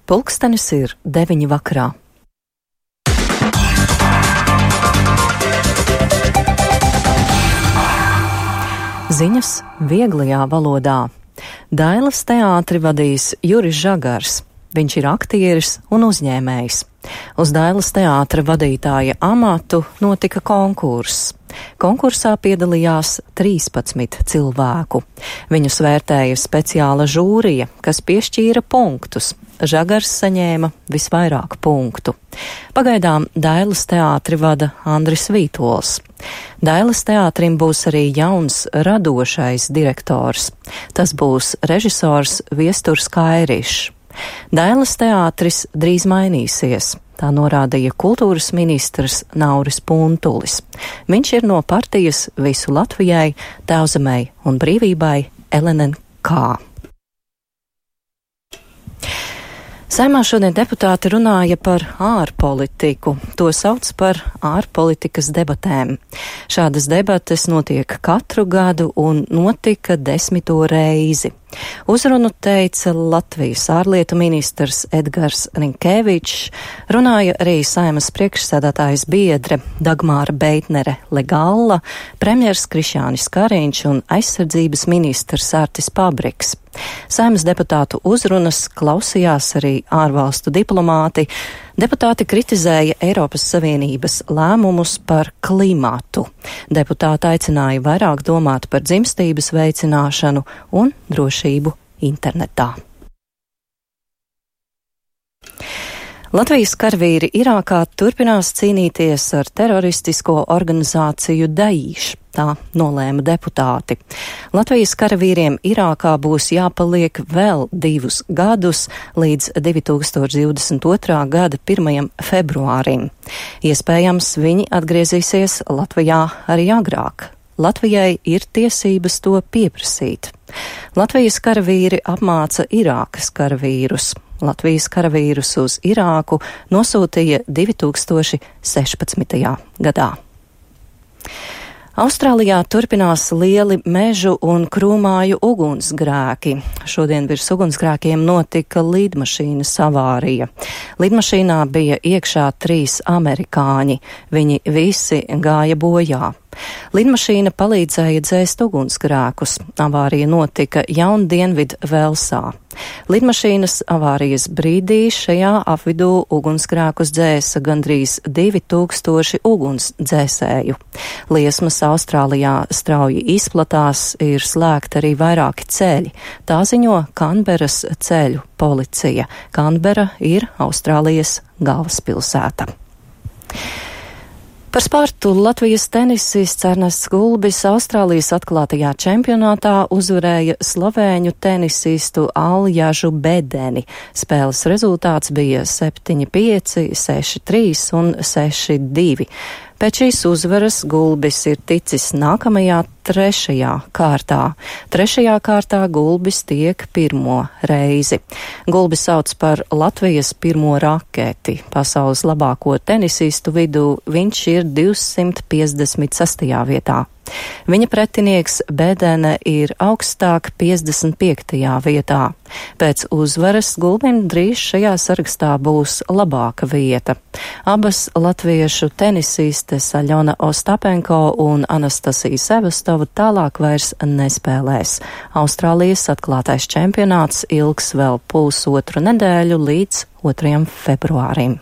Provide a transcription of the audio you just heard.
Pulkstenis ir 9 vakarā. Ziņas vieglajā valodā. Dailas teātri vadīs Juris Žagars. Viņš ir aktieris un uzņēmējs. Uz Dailas teātra vadītāja amatu notika konkurss. Konkursā piedalījās 13 cilvēku. Viņus vērtēja speciāla žūrija, kas piešķīra punktus. Žagars saņēma visvairāk punktu. Pagaidām Dailas teātri vada Andris Vītols. Dailas teātrim būs arī jauns radošais direktors. Tas būs režisors Viesturs Kairišs. Dailas teātris drīz mainīsies. Tā norādīja kultūras ministrs Nauris Puntulis. Viņš ir no partijas Visu Latvijai, Tēvzemei un brīvībai LNK. Saeimā šodien deputāti runāja par ārpolitiku. To sauc par ārpolitikas debatēm. Šādas debates notiek katru gadu un notika 10. reizi. Uzrunu teica Latvijas ārlietu ministrs Edgars Rinkēvičs, runāja arī Saeimas priekšsēdētājas biedre Dagmāra Beitnere Legalla, premjers Krišjānis Kariņš un aizsardzības ministrs Artis Pabriks. Saeimas deputātu uzrunas klausījās arī ārvalstu diplomāti. Deputāti kritizēja Eiropas Savienības lēmumus par klimatu. Deputāti aicināja vairāk domāt par dzimstības veicināšanu un drošību internetā. Latvijas karavīri Irākā turpinās cīnīties ar teroristisko organizāciju Daīš, tā nolēma deputāti. Latvijas karavīriem Irākā būs jāpaliek vēl 2 gadus līdz 2022. gada 1. februārim. Iespējams, viņi atgriezīsies Latvijā arī agrāk. Latvijai ir tiesības to pieprasīt. Latvijas karavīri apmāca Irākas karavīrus. Latvijas karavīrus uz Irāku nosūtīja 2016. gadā. Austrālijā turpinās lieli mežu un krūmāju ugunsgrēki. Šodien virs ugunsgrēkiem notika lidmašīnas avārija. Lidmašīnā bija iekšā 3 amerikāņi. Viņi visi gāja bojā. Lidmašīna palīdzēja dzēst ugunsgrēkus. Avārija notika Jaundienvidu Velsā. Lidmašīnas avārijas brīdī šajā apvidū ugunsgrēkus dzēsa gandrīz 2000 ugunsdzēsēju. Liesmas Austrālijā strauji izplatās, ir slēgti arī vairāki ceļi. Tā ziņo Kanberas ceļu policija. Kanbera ir Austrālijas galvaspilsēta. Par sportu Latvijas tenisists Ernests Gulbis Austrālijas atklātajā čempionātā uzvarēja slovēņu tenisistu Aljažu Bedeni. Spēles rezultāts bija 7-5, 6-3 un 6-2. Pēc šīs uzvaras Gulbis ir ticis nākamajā 3. kārtā. 3. kārtā Gulbis tiek 1. reizi. Gulbis sauc par Latvijas 1. raketi. Pasaules labāko tenisistu vidū viņš ir 256. vietā. Viņa pretinieks Bedene ir augstāk 55. vietā. Pēc uzvaras Gulbim drīz šajā sarakstā būs labāka vieta. Abas latviešu tenisistes Aļona Ostapenko un Anastasija Sevastova tālāk vairs nespēlēs. Austrālijas atklātais čempionāts ilgs vēl 1,5 nedēļu līdz 2. februārim.